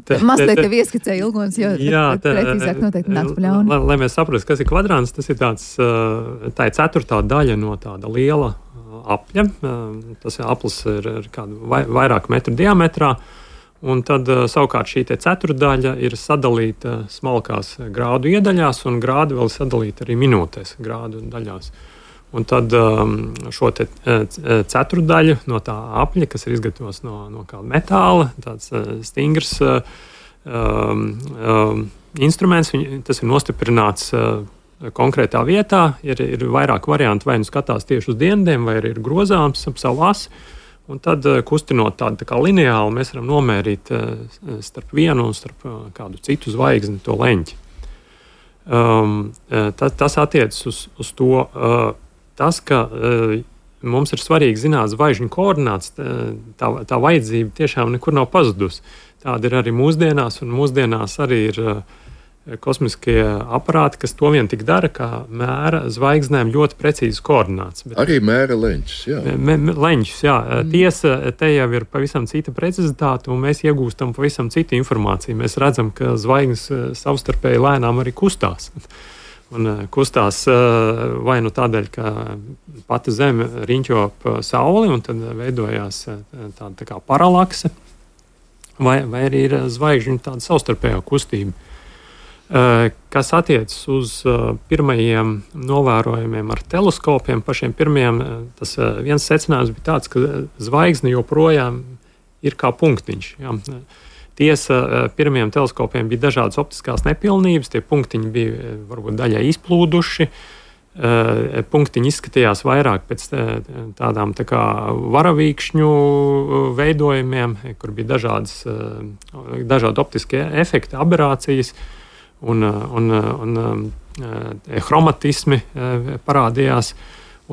te, Mazliet tev ieskicēja Ilgons, jo jā, te, precīzāk noteikti nāc pļauni. Lai, lai mēs saprastu, kas ir kvadrants, tas ir tāds, tā ir ceturtā daļa no tāda liela apļa. Tas aplis ir, ir kādu vai, vairāk metru diametrā, un tad savukārt šī ceturdaļa ir sadalīta smalkās grādu iedaļās, un grādi vēl sadalīta arī minūtēs grādu daļās. Un tad šo te ceturdaļu no tā apļa, kas ir izgatavots no, no kāda metāla, tāds stingrs um, um, instruments, tas ir nostiprināts konkrētā vietā, ir, ir vairāk variantu, vai nu skatās tieši uz dienvidiem, vai arī ir grozāms ap savu asi. Un tad, kustinot tādu tā kā lineāli, mēs varam nomērīt starp vienu un starp kādu citu zvaigzni to leņķi. Um, tas, tas attiecas uz, uz to, uh, tas, ka uh, mums ir svarīgi zināt zvaigžņu koordināts, tā, tā vajadzība tiešām nekur nav pazudusi. Tāda ir arī mūsdienās, un mūsdienās arī ir uh, kosmiskie aparāti, kas to vien tik dara, kā mēra zvaigznēm ļoti precīzi koordināts. Bet arī mēra leņķus, jā. Me, me, leņķus, jā. Mm. Tiesa, te jau ir pavisam cita precizitāte, un mēs iegūstam pavisam citu informāciju. Mēs redzam, ka zvaigznes savstarpēji lēnām arī kustās. Un kustās vai nu tādēļ, ka pati Zeme riņķo ap Sauli, un tad veidojās tāda tā kā paralakse, vai, vai arī ir zvaigžņu tāda savstarpējā kustība. Kas attiecas uz pirmajiem novērojumiem ar teleskopiem, pašiem pirmajiem, tas viens secinājums bija tāds, ka zvaigzne joprojām ir kā punktiņš. Jā. Tiesa, pirmajiem teleskopiem bija dažādas optiskās nepilnības, tie punktiņi bija varbūt daļai izplūduši, punktiņi izskatījās vairāk pēc tādām tā kā varavīkšņu veidojumiem, kur bija dažādas, dažādi optiskie efekti, aberācijas, un, un, un hromatismi parādījās.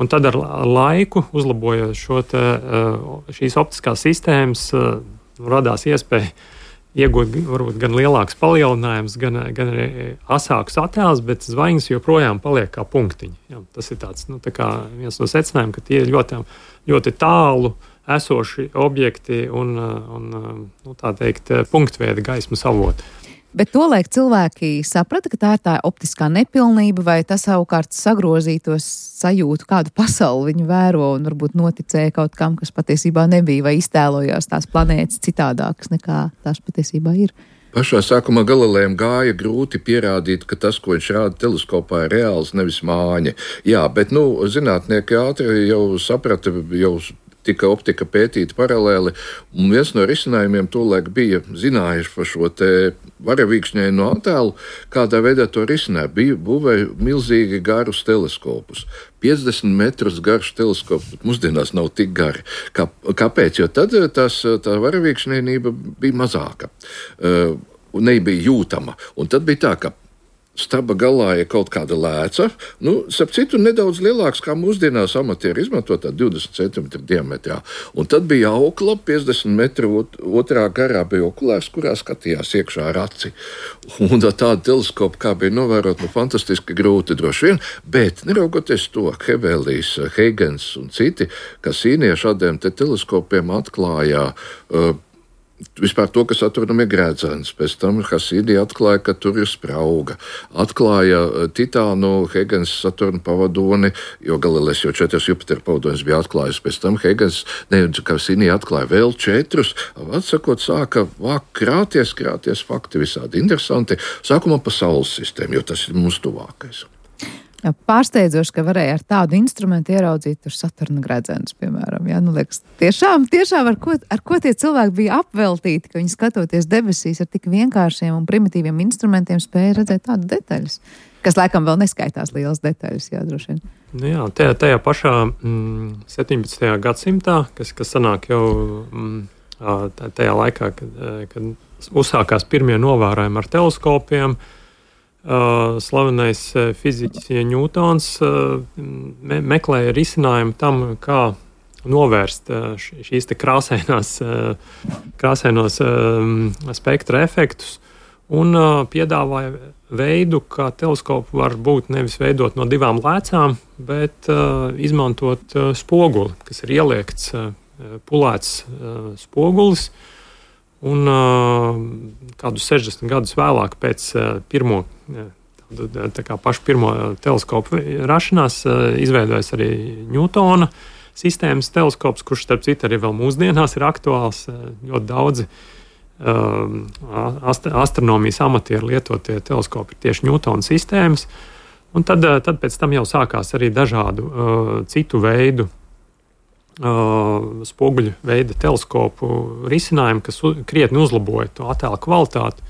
Un tad ar laiku, uzlabojot šo te, šīs optiskās sistēmas, radās iespēja iegūt varbūt gan lielāks palielinājums, gan, gan arī asāks attēls, bet zvaigznes joprojām paliek kā punktiņi. Jā, tas ir tāds, nu, tā kā viens no secinājumiem, ka tie ir ļoti, ļoti tālu esoši objekti un, un nu, tā teikt, punktveida gaismas avoti. Bet tolaik cilvēki saprata, ka tā ir tā optiskā nepilnība, vai tas savukārt sagrozītos sajūtu, kādu pasauli viņi vēro, un varbūt noticēja kaut kam, kas patiesībā nebija, vai iztēlojās tās planētas citādākas nekā tās patiesībā ir. Pašā sākumā Galilejam gāja grūti pierādīt, ka tas, ko viņš rāda teleskopā, ir reāls, nevis māņa. Jā, bet, nu, zinātnieki ātri jau saprata, jau tika optika pētīta paralēli, un viens no risinājumiem tolaik bija zinājuši par šo te varavīkšņaino attēlu, kādā veidā to risināja. Bija būvēja milzīgi garus teleskopus. piecdesmit metrus garš teleskops, bet mūsdienās nav tik gari. Kā, kāpēc? Jo tad tās, tā varavīkšņainība bija mazāka, uh, un nebija jūtama. Un tad bija tā, ka staba galā ir kaut kāda lēca, nu, starp citu, nedaudz lielāks, kā mūsdienās amatieri izmanto, tā divdesmit centimetru diametrā. Un tad bija aukla, piecdesmit metru otrā garā bija okulārs, kurā skatījās iekšā ar aci. Un tāda teleskopa, kā bija novērot, nu, fantastiski grūti droši vien, bet neraugoties to, Hebelijs, Huygens un citi, kas īnie šādiem te teleskopiem atklāja uh, vispār to, kas atrodami grēdzens. Pēc tam Hasīdi atklāja, ka tur ir sprauga. Atklāja Titānu, Huygens Saturna pavadoni, jo Galilejs jau četras Jupitera pavadonis bija atklājis. Pēc tam Huygens, ne, Hasīdi atklāja vēl četrus. Atsakot, sāka vāk krāties, krāties fakti visādi interesanti. Sākumā pa Saules sistēmu, jo tas ir mums tuvākais. Jā, pārsteidzoši, ka varēja ar tādu instrumentu ieraudzīt tur Saturna gredzenus, piemēram. Jā, nu, liekas, tiešām, tiešām ar, ko, ar ko tie cilvēki bija apveltīti, ka viņi skatoties debesīs ar tik vienkāršiem un primitīviem instrumentiem spēja redzēt tādu detaļas, kas laikam vēl neskaitās lielas detaļas, jā, droši vien. Nu jā, tajā, tajā pašā mm, septiņpadsmitajā gadsimtā, kas, kas sanāk jau mm, tajā laikā, kad, kad uzsākās pirmie novērojumi ar teleskopiem, slavenais fiziķis Ņūtons me, meklēja risinājumu tam, kā novērst šīs te krāsainās, krāsainos spektra efektus, un piedāvāja veidu, kā teleskopu var būt nevis veidot no divām lēcām, bet uh, izmantot uh, spoguli, kas ir ieliekts uh, pulēts uh, spogulis. Un uh, kādus sešdesmit gadus vēlāk pēc uh, pirmo, uh, tā kā pašu pirmo teleskopu rašanās uh, izveidojas arī Ņūtona sistēmas teleskops, kurš starp citu arī vēl mūsdienās ir aktuāls. Uh, ļoti daudzi Ast, astronomijas amatieri lietotie teleskopi ir tieši Ņūtona sistēmas. Un tad, tad pēc tam jau sākās arī dažādu uh, citu veidu uh, spoguļu veida teleskopu risinājumi, kas u, krietni uzlaboja to attēlu kvalitāti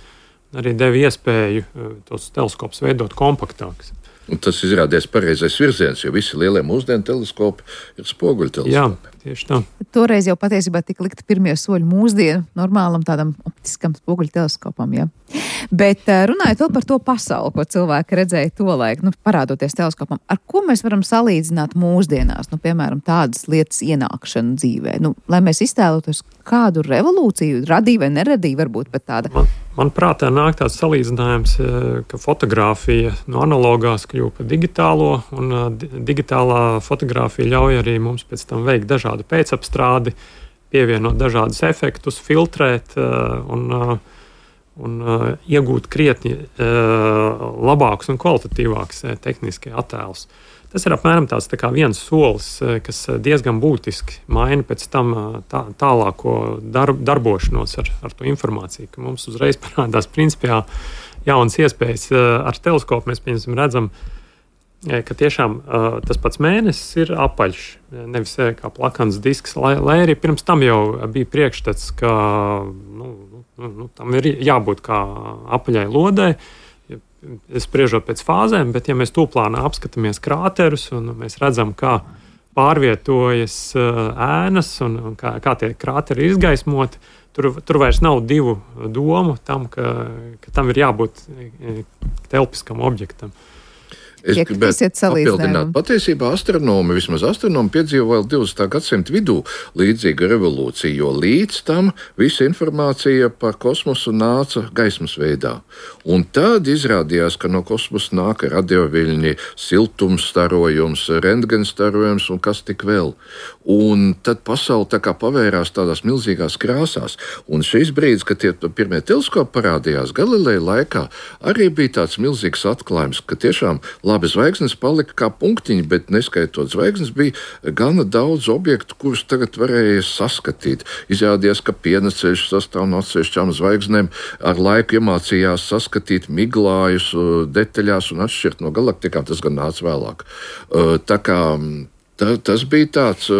un arī deva iespēju uh, tos teleskopus veidot kompaktākus. Un tas izrādījās pareizais virziens, jo visi lielie mūsdienu teleskopi ir spoguļu teleskopi. Jā, tieši tā. Toreiz jau patiesībā tika likti pirmie soļi mūsdienu normālam tādam optiskam spoguļu teleskopam, jā. Bet runājot vēl par to pasauli, ko cilvēki redzēja tolaik, nu, parādoties teleskopam, ar ko mēs varam salīdzināt mūsdienās, nu, piemēram, tādas lietas ienākšanu dzīvē, nu, lai mēs iztēlotos, kādu revolūciju radīja vai neradīja, varbūt pat tāda. Man, man prātā nāk tāds salīdzinājums, ka fotografija no analogās kļuva par digitālo, un digitālā fotografija ļauj arī mums pēc tam veikt dažādu pēcapstrādi, pievienot dažādus efektus, filtrēt un, un iegūt krietni labākus un kvalitatīvākus tehniskie attēlus. Tas ir apmēram tāds tā kā viens solis, kas diezgan būtiski maina pēc tam tā, tālāko darb, darbošanos ar, ar to informāciju, ka mums uzreiz parādās principā jaunas iespējas. Ar teleskopu mēs pieņemsim redzam, ka tiešām tas pats mēnesis ir apaļš, nevis kā plakans disks, lai, lai arī pirms tam jau bija priekšstats, ka nu, nu, tam ir jābūt kā apaļai lodai, spriežot pēc fāzēm, bet ja mēs tūplānā apskatāmies krāterus un mēs redzam, kā pārvietojas ēnas un, un kā, kā tie krāteri ir izgaismoti, tur, tur vairs nav divu domu tam, ka, ka tam ir jābūt telpiskam objektam. Es gribētu papildināt. Patiesībā astronomi, vismaz astronomi piedzīvo vēl divdesmitā gadsimta vidū līdzīgu revolūciju, jo līdz tam visa informācija par kosmosu nāca gaismas veidā. Un tad izrādījās, ka no kosmosa nāk radioviļņi, siltumstarojums, rentgenstarojums un kas tik vēl. Un tad pasaule tā kā pavērās tādās milzīgās krāsās. Un šis brīdis, kad tie pirmie teleskopi parādījās Galileja laikā, arī bija tāds milzīgs atklājums, ka tiešām labi, zvaigznes palika kā punktiņi, bet neskaitot zvaigznes bija gana daudz objektu, kurus tagad varēja saskatīt. Izrādījās, ka pieneceļš sastāv no atsevišķām zvaigznēm, ar laiku iemācījās saskatīt miglājus detaļās un atšķirt no galaktikām, tas gan nāca vēlāk. Tā kā tā, tas bija tāds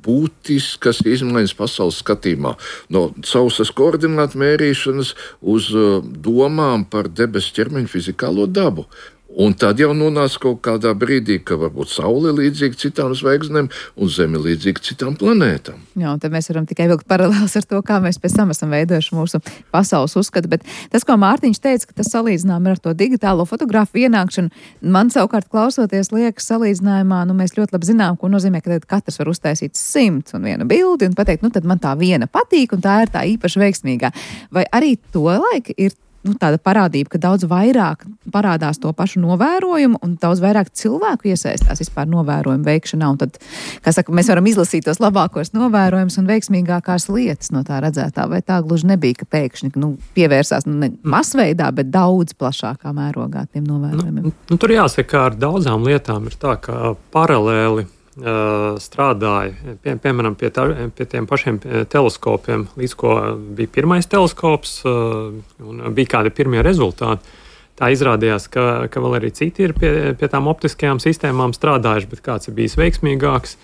būtiskas izmaiņas pasaules skatījumā. No sausas koordinātu mērīšanas uz domām par debesu ķermeņa fizikālo dabu. Un tad jau nonāca kaut kādā brīdī, ka varbūt Saule ir līdzīga citām zvaigznēm un Zeme līdzīga citām planētām. Jā, un tad mēs varam tikai vilkt paralēlis ar to, kā mēs pēc tam esam veidojuši mūsu pasaules uzskatu. Bet tas, ko Mārtiņš teica, ka tas salīdzinājumi ar to digitālo fotogrāfu ienākšanu, man savukārt klausoties liekas salīdzinājumā, nu mēs ļoti labi zinām, ko nozīmē, ka katrs var uztaisīt simts un vienu bildi un pateikt, nu tad man tā viena patīk un tā ir tā īpaši veiksmīgā. Vai arī to laika ir nu, tāda parādība, ka daudz vairāk parādās to pašu novērojumu un daudz vairāk cilvēku iesaistās vispār novērojumu veikšanā. Un tad, kā saka, mēs varam izlasīt tos labākos novērojumus un veiksmīgākās lietas no tā redzētā. Vai tā gluži nebija, ka pēkšņi nu, pievērsās nu, ne masveidā, bet daudz plašākā mērogā tiem novērojumiem? Nu, nu, tur jāsaka, ka ar daudzām lietām ir tā, ka paralēli Uh, strādāja, pie, piemēram, pie, tā, pie tiem pašiem teleskopiem, līdz ko bija pirmais teleskops uh, un bija kādi pirmie rezultāti. Tā izrādījās, ka, ka vēl arī citi ir pie, pie tām optiskajām sistēmām strādājuši, bet kāds ir bijis veiksmīgāks.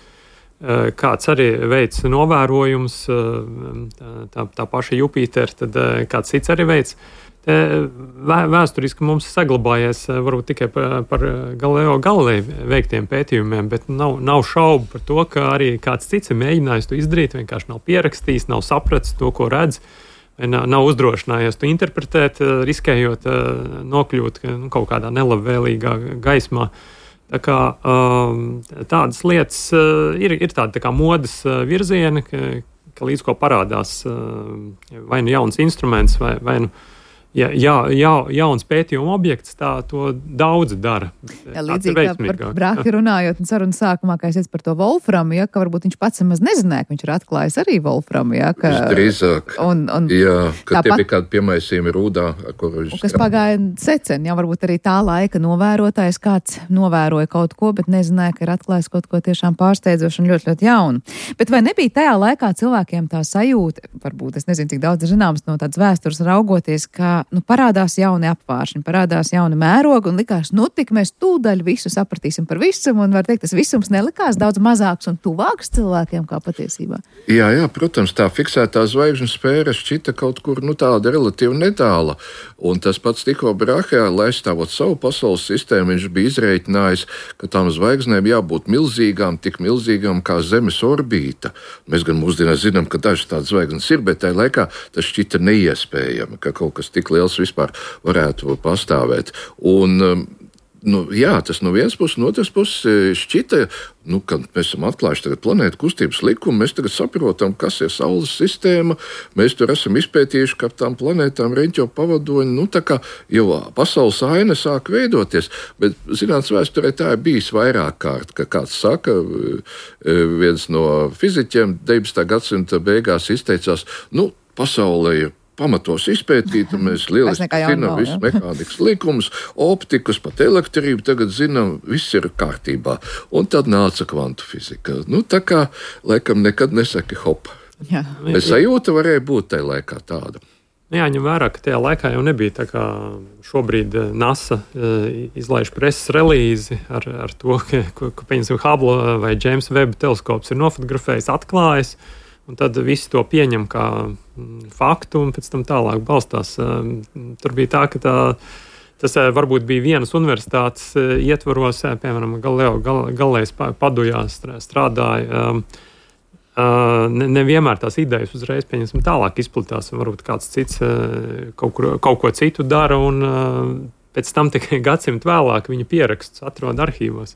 kāds arī veids novērojums, tā, tā paša Jupitera, tad kāds cits arī veids. Vēsturiski mums saglabājies varbūt tikai par, par Galileo Galilei veiktiem pētījumiem, bet nav, nav šaubu par to, ka arī kāds cits ir mēģinājis to izdarīt, vienkārši nav pierakstījis, nav sapratis to, ko redz, nav, nav uzdrošinājies to interpretēt, riskējot nokļūt nu, kaut kādā nelabvēlīgā gaismā. Tā kā, tādas lietas ir, ir tāda tā kā modes virzieni, ka, ka līdz ko parādās vai nu jauns instruments, vai, vai nu Ja, jā, jā, jauns pētījuma objekts, tā to daudzi dara. Jā, līdzīgi kā par Brahe runājot un sarunas sākumā, kā es par to Wolframu, ja, ka varbūt viņš pats maz nezināja, ka viņš ir atklājis arī Wolframu. Ja, ka, drīzāk, un, un jā, ka tāpat, tie bija kādi piemaisījumi rūdā, ar kuru viņš kas pagāja secen, jā, varbūt arī tā laika novērotājs kāds novēroja kaut ko, bet nezināja, ka ir atklājis kaut ko tiešām pārsteidzošu un ļoti, ļoti jaunu. Bet vai nebija tajā laikā cilvēkiem tā sajūta, varbūt es nezinu, cik daudz ir zināms no tādas vēstures raugoties, ka nu, parādās jauni apvāršņi, parādās jauni mērogi un likās, nu tik mēs tūdaļ visu sapratīsim par visumu un var teikt, tas visums nelikās daudz mazāks un tuvāks cilvēkiem kā patiesībā. Jā, jā, protams, tā fiksētā zvaigžņu sfēra šķita kaut kur, nu tāda relatīvi netāla. Un tas pats Tycho Brahe, lai aizstāvot savu pasaules sistēmu, viņš bija izreikinājis, ka tām zvaigznēm jābūt milzīgām, tik milzīgām kā Zemes orbīta. Mēs gan mūsdienās zinām, ka dažas tādas zvaigznes ir, bet tajā laikā tas šķita neiespējami, ka kaut kas tik liels vispār varētu pastāvēt. Un, nu, jā, tas no vienas puses, no otras puses šķita, nu, kad mēs esam atklājuši tagad planētu kustības likumu, mēs tagad saprotam, kas ir Saules sistēma, mēs tur esam izpētījuši, ka tām planētām reņķo pavadoņi, nu, tā kā jau pasaules aina sāk veidoties, bet, zinātnes vēsturē tā ir bijis vairāk kārt, ka kāds saka, viens no fiziķiem deviņpadsmitā gadsimta beigās izteicās, nu, pasaulē ir pamatos izpētīta, mēs lieliski zinām visus mehānikas likumus, optikas, pat elektrību, tagad zinām, viss ir kārtībā. Un tad nāca kvantu fizika. Nu, tā kā, laikam, nekad nesaki hop. Jā. Bet sajūta varēja būt tajā laikā tāda. Jāņem vērā, ka tajā laikā jau nebija tā kā šobrīd NASA izlaiž preses relīzi ar, ar to, ka, ka pieņemsim, Hubble vai James Webb teleskops ir nofotografējis, atklājis, un tad visi to pieņem kā faktu un pēc tam tālāk balstās. Tur bija tā, ka tā, tas varbūt bija vienas universitātes ietvaros, piemēram, Galileo Galilejas padujā strādāja. Nevienmēr tās idejas uzreiz pieņemsim tālāk izplatās, un varbūt kāds cits kaut, kur, kaut ko citu dara, un pēc tam tikai gadsimtu vēlāk viņa pierakstus atrod arhīvos.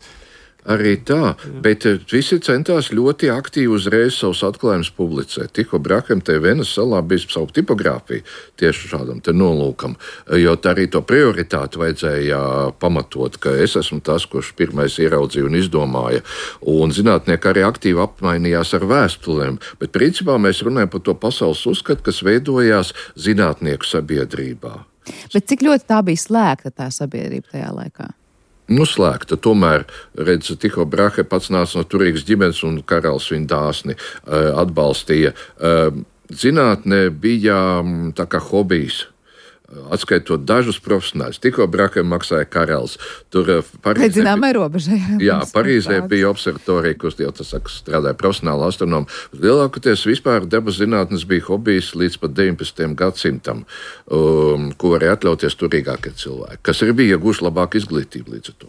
Arī tā, bet visi centās ļoti aktīvi uzreiz savus atklājumus publicēt. Tycho Brahem te Venes salā bija savu tipogrāfiju tieši šādam te nolūkam, jo tā arī to prioritāti vajadzēja pamatot, ka es esmu tas, kurš pirmais ieraudzīja un izdomāja. Un zinātnieki arī aktīvi apmainījās ar vēstulēm, bet principā mēs runājam par to pasaules uzskatu, kas veidojās zinātnieku sabiedrībā. Bet cik ļoti tā bija slēgta tā sabiedrība tajā laikā? Nu, slēgta. Tomēr, redz, Tycho Brahe pats nāca no turīgas ģimenes un karalis viņu dāsni uh, atbalstīja. Uh, zinātne bija um, tā kā hobijs. Atskaitot dažus profesionāļus. Tycho Brahe maksāja karalis. Tur Parīzē, zināmai robežai. Jā, Parīzē bija observatorija, kur jau tas saka, strādāja profesionāli astronomi. Lielākoties vispār dabas zinātnes bija hobijs līdz pat deviņpadsmitajam gadsimtam, um, ko varēja atļauties turīgākie cilvēki, kas arī bija ieguvuši labāku izglītību līdz ar to.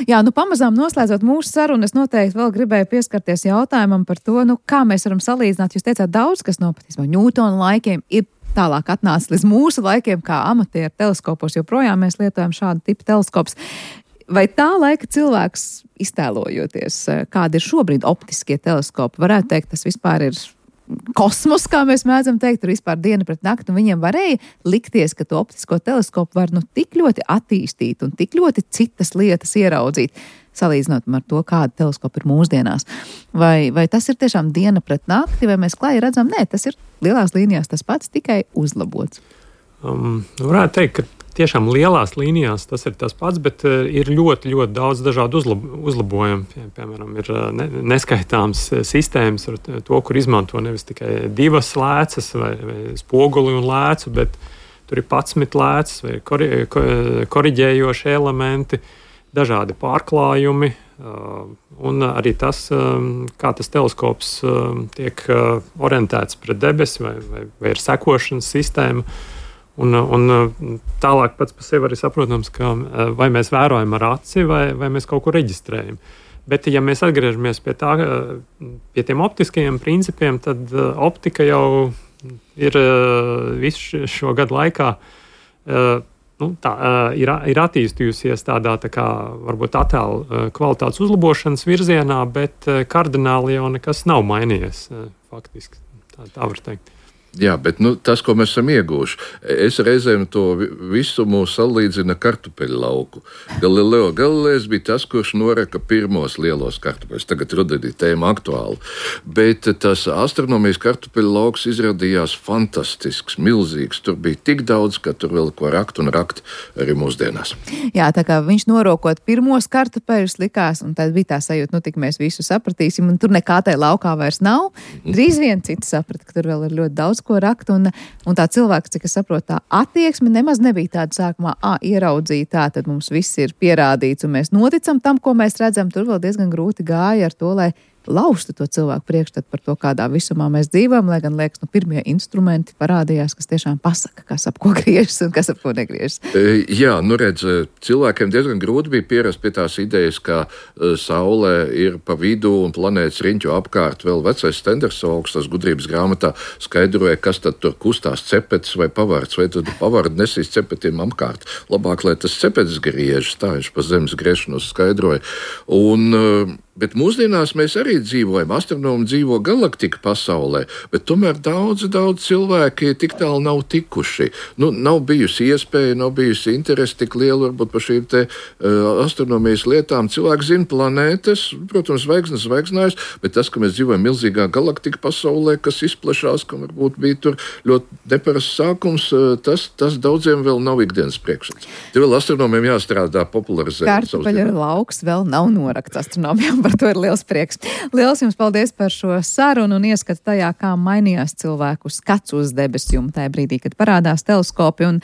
Jā, nu pamazām noslēdzot mūsu sarunu, es noteikti vēl gribēju pieskarties jautājumam par to, nu kā mēs varam salīdzināt. Jūs teicāt daudz, kas no patiesībā Ņūtona laikiem ir tālāk atnāca līdz mūsu laikiem, kā amatieru teleskopos, joprojām mēs lietojam šādu tipu teleskops. Vai tā laika cilvēks, iztēlojoties, kādi ir šobrīd optiskie teleskopi, varētu teikt, tas vispār ir kosmos, kā mēs mēdzam teikt, tur vispār diena pret nakti, un viņiem varēja likties, ka to optisko teleskopu var nu tik ļoti attīstīt un tik ļoti citas lietas ieraudzīt, salīdzinot ar to, kāda teleskopa ir mūsdienās. Vai, vai tas ir tiešām diena pret nakti, vai mēs klāji redzam? Nē, tas ir lielās līnijās tas pats, tikai uzlabots. Um, varētu teikt, ka tiešām lielās līnijās tas ir tas pats, bet uh, ir ļoti, ļoti daudz dažādu uzlab uzlabojumu. Pie, piemēram, ir uh, ne, neskaitāms sistēmas ar to, kur izmanto nevis tikai divas lēcas vai, vai spoguli un lēcu, bet tur ir padsmit lēcas vai kori, ko, koriģējoši elementi. dažādi pārklājumi, un arī tas, kā tas teleskops tiek orientēts pret debesi vai, vai, vai ir sekošanas sistēma. Un, un tālāk pats par sevi arī saprotams, ka vai mēs vērojam ar aci vai, vai mēs kaut ko reģistrējam. Bet, ja mēs atgriežamies pie, tā, pie tiem optiskajiem principiem, tad optika jau ir visu šo gadu laikā nu, tā, ir, ir attīstījusies tādā tā kā varbūt attēlu kvalitātes uzlabošanas virzienā, bet kardināli jau nekas nav mainījies faktiski. Tā, tā var teikt. Jā, bet nu, tas, ko mēs esam ieguvuši, es reizēm to visu mūs salīdzinu ar kartupeļu lauku. Galileo Galilejs bija tas, kurš noreka pirmos lielos kartupeļus. Tagad rudenī tēma aktuāla. Bet tas astronomijas kartupeļu lauks izrādījās fantastisks, milzīgs. Tur bija tik daudz, ka tur vēl ko rakt un rakt arī mūsdienās. Jā, tā kā viņš norokot pirmos kartupeļus likās, un tad bija tā sajūta, nu tik mēs visu sapratīsim, un tur nekā tai laukā vairs nav. Drīz vien citi saprata, ka tur vēl ir ļoti daudz ko rakt, un, un tā cilvēks, cik es saprotu, tā attieksme nemaz nebija tāda sākumā, ā, ieraudzīja tā, tad mums viss ir pierādīts, un mēs noticam tam, ko mēs redzam. Tur vēl diezgan grūti gāja ar to, lai laustu to cilvēku priekšstatu par to, kādā visumā mēs dzīvojam, lai gan liekas, nu, pirmie instrumenti parādījās, kas tiešām pasaka, kas ap ko griežas un kas ap ko negriežas. E, jā, nu redz, cilvēkiem diezgan grūti bija pierast pie tās idejas, ka uh, Saule ir pa vidu un planētas riņķu apkārt. Vēl vecais Stendersaugs, tas gudrības grāmatā skaidroja, kas tad tur kustās, cepetis vai pavards, vai tad pavardi nesīs cepetiem apkārt. Labāk, lai tas cepetis griežas, tā viņš pa zemes griešanos skaidroja. Un uh, Bet mūsdienās mēs arī dzīvojam, astronomi dzīvo galaktika pasaulē, bet tomēr daudz, daudz cilvēki tik tālu nav tikuši. Nu, nav bijusi iespēja, nav bijusi interese tik liela varbūt par šīm te uh, astronomijas lietām. Cilvēki zina planētas, protams, zvaigznes zvaigznājas, bet tas, ka mēs dzīvojam milzīgā galaktika pasaulē, kas izplešās, ka varbūt bija tur ļoti neparasts sākums, uh, tas, tas daudziem vēl nav ikdienas priekšstats. Te vēl astronomiem jāstrādā popularizēt. Kartupeļu lauks vēl nav norakts astronomiem. Par to ir liels prieks. Liels jums paldies par šo sarunu un ieskatu tajā, kā mainījās cilvēku skats uz debesu jumu tajā brīdī, kad parādās teleskopi. Un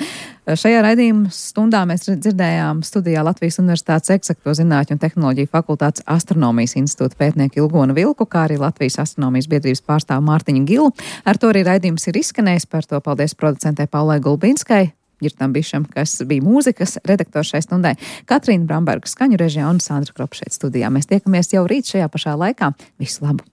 šajā raidījuma stundā mēs dzirdējām studijā Latvijas Universitātes Eksakto zinātņu un tehnoloģiju fakultātes astronomijas institūta pētnieku Ilgonu Vilku, kā arī Latvijas astronomijas biedrības pārstāvu Mārtiņu Gilu. Ar to arī raidījums ir izskanējis. Par to paldies producentei Paulai Gulbinskai, Girtam Bišam, kas bija mūzikas redaktors šai stundai, Katrīna Bramberga skaņu režijā un Sandra Kropa šeit studijā. Mēs tiekamies jau rīt šajā pašā laikā. Visu labu!